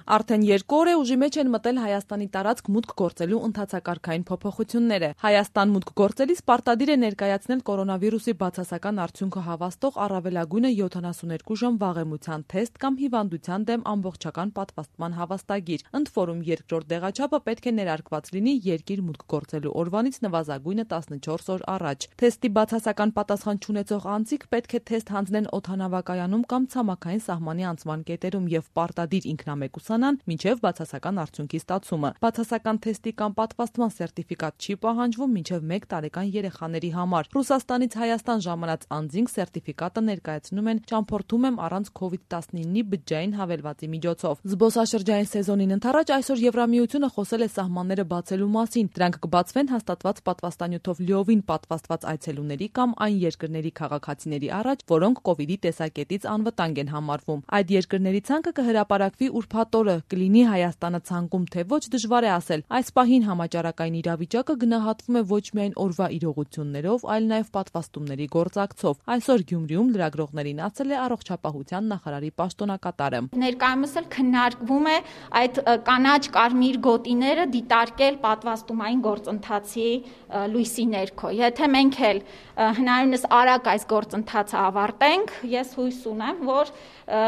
Արդեն 2 օր է ուժի մեջ են մտել Հայաստանի տարածք մուտք գործելու ընթացակարգային փոփոխությունները։ Հայաստան մուտք գործելիս պարտադիր է ներկայացնել կորոնավիրուսի բացասական արդյունքը հավաստող առավելագույնը 72 ժամ վաղեմության թեստ կամ հիվանդության դեմ ամբողջական պատվաստման հավաստագիր։ Ընդ որում երկրորդ դեղաչափը պետք է ներարկված լինի երկիր մուտք գործելու օրվանից նվազագույնը 14 օր առաջ։ Թեստի բացասական պատասխան չունեցող անձիկ պետք է թեստ հանձնեն օդանավակայանում կամ ցամաքային սահմանի անցման կետերում եւ պարտադիր ինքնամեկուսանան մինչև բացասական արդյունքի ստացումը։ Բացասական թեստի կամ պատվաստման սերտիֆիկատ չի պահանջվում մինչև 1 տարեկան երեխաների համար։ Ռուսաստանից Հայաստան ժամանած անձինք սերտիֆիկատը ներկայացնում են ճամփորդում եմ առանց COVID-19-ի բջջային հավելվածի միջոցով։ Զբոսաշրջային սեզոնին ընդառաջ այսօր Եվրամիությունը խոսել է սահմանները բացելու մասին։ Դրանք կբացվեն հաստատված պատվաստանյութով լիովին պատվաստված այցելուների կամ այն երկրների քաղաքացիների առաջ, որոնք COVID-ի տեսակետից անվտանգ են համարվում։ Այդ երկրների ցանկը կհրապարակվի ուրբաթ օրը, կլինի Հայաստանը ցանկում թե ոչ դժվար է ասել։ Այս պահին համաճարակային իրավիճակը գնահատվում է ոչ միայն օրվա իրողություններով, այլ նաև պատվաստումների գործակցով։ Այսօր Գյումրիում լրագրողներին ասել է առողջապահության նախարարի պաշտոնակատարը։ Ներկայումս էլ քննարկվում է այդ կանաչ-կարմիր գոտիները դիտարկել պատվաստումային գործընթացի լույսի ներքո։ Եթե մենք էլ հնարավորինս արագ այս գործընթացը ավարտենք, ես հույս ունեմ, որ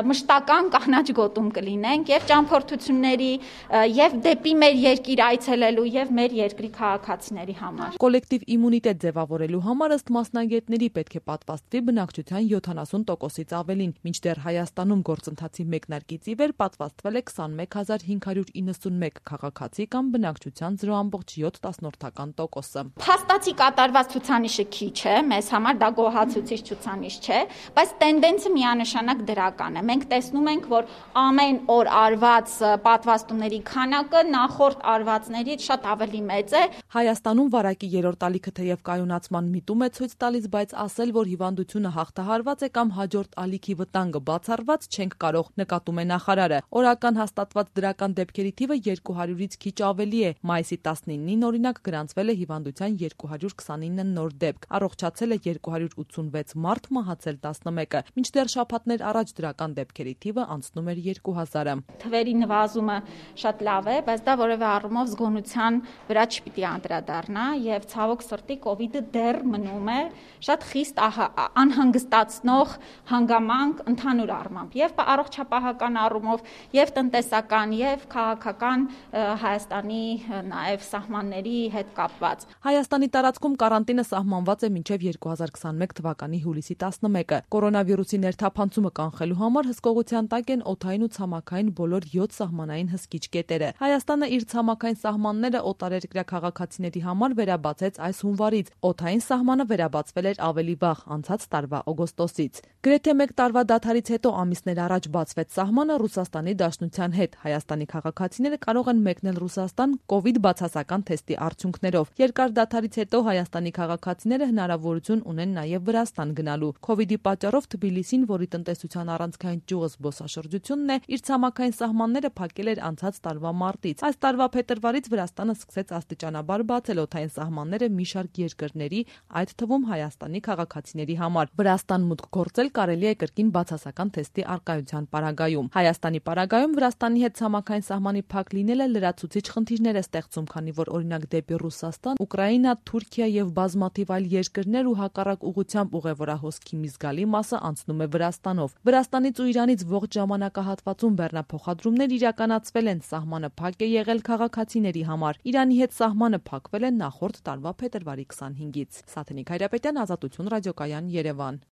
մշտական կանաչ գոտում կլինենք եւ ճամփորդությունների եւ դեպի մեր երկիր այցելելու եւ մեր երկրի քաղաքացիների համար։ Կոլեկտիվ իմունիտետ ձևավորելու համար ըստ մասնագետների պետք է պատվաստվի բնակչության 70%-ից ավելին, մինչդեռ Հայաստանում գործընթացի մեկնարկից ի վեր պատվաստվել է 21591 քաղաքացի կամ բնակչության 0.7%-ը։ Փաստացի կատարված ցուցանիշը քիչ է, մեզ համար դա գոհացուցիչ ցուցանիշ չէ, բայց տենդենսը միանշանակ դրական է։ Մենք տեսնում ենք, որ ամեն օր արված պատվաստումների քանակը նախորդ արվածներից շատ ավելի մեծ է։ Հայաստանում վարակի երրորդ ալիքը թեև կայունացման միտում է ցույց տալիս, բայց ասել, որ հիվանդությունը հաղթահարված է կամ հաջորդ ալիքի վտանգը բացառված չենք կարող, նկատում է նախարարը։ Օրական հաստատված դրական դեպքերի թիվը 200-ից քիչ ավելի է։ Մայիսի 19-ին օրինակ գրանցվել է հիվանդության 229 նոր դեպք, առողջացել է 286 մարդ, մահացել 11-ը, մինչդեռ շաբաթներ առաջ դրական դեպքերի թիվը անցնում էր 2000-ը։ Թվերի նվազումը շատ լավ է, բայց դա որևէ առումով զգոնության վրա չպիտի անդրադառնա եւ ցավոք սրտի COVID-ը դեռ մնում է շատ խիստ անհանգստացնող հանգամանք ընդհանուր առմամբ եւ առողջապահական առումով եւ տնտեսական եւ քաղաքական Հայաստանի նաեւ սահմանների հետ կապված։ Հայաստանի տարածքում կարանտինը սահմանված է մինչև 2021 թվականի հուլիսի 11-ը։ Կորոնավիրուսի ներթափանցումը կանխելու համար հսկողության տակ են օդային ու ցամաքային բոլոր 7 սահմանային հսկիչ կետերը։ Հայաստանը իր ցամաքային սահմանները օտարերկրյա քաղաքացիների համար վերաբացեց այս հունվարից։ Օդային սահմանը վերաբացվել էր ավելի վաղ, անցած տարվա օգոստոսից։ Գրեթե 1 տարվա դադարից հետո ամիսներ առաջ բացվեց սահմանը Ռուսաստանի Դաշնության հետ։ Հայաստանի քաղաքացիները կարող են մեկնել Ռուսաստան COVID բացասական թեստի արդյունքներով։ Երկար դադարից հետո Հայաստանի քաղաքացիները հնարավորություն ունեն նաև Վրաստան գնալու։ COVID-ի պատճառով Թբիլիսին, որի տնտեսության առանցքային ճյուղը զբոսաշրջությունն է, իր ցամաքային սահմանները փակել էր անցած տարվա մարտից։ Այս տարվա փետրվարից Վրաստանը սկսեց աստիճանաբար բացել օդային սահմանները մի շարք երկրների, այդ թվում Հայաստանի քաղաքացիների համար։ Վրաստան մուտք գործել կարելի է կրկին բացասական թեստի առկայության պարագայում։ Հայաստանի պարագայում Վրաստանի հետ ցամաքային սահմանի փակ լինելը լրացուցիչ խնդիրներ է ստեղծում, քանի որ օրինակ դեպի Ռուսաստան, Ուկրաինա, Թուրքիա եւ բազմաթիվ այլ երկրներ ու հակառակ ուղղությամբ ուղևորահոսքի մի զգալի մասը անցնում է Վրաստանով։ Վրաստանից ու Իրանից ողջ ժամանակահատվածում բեռնափոխադրումներ իրականացվել են, սահմանը փակ է եղել քաղաքացիների համար։ Իրանի հետ սահմանը փակվել է նախորդ տարվա փետրվարի 25-ից։ Սաթենիկ Հայրապետյան, Ազատություն ռադիոկայան, Երևան։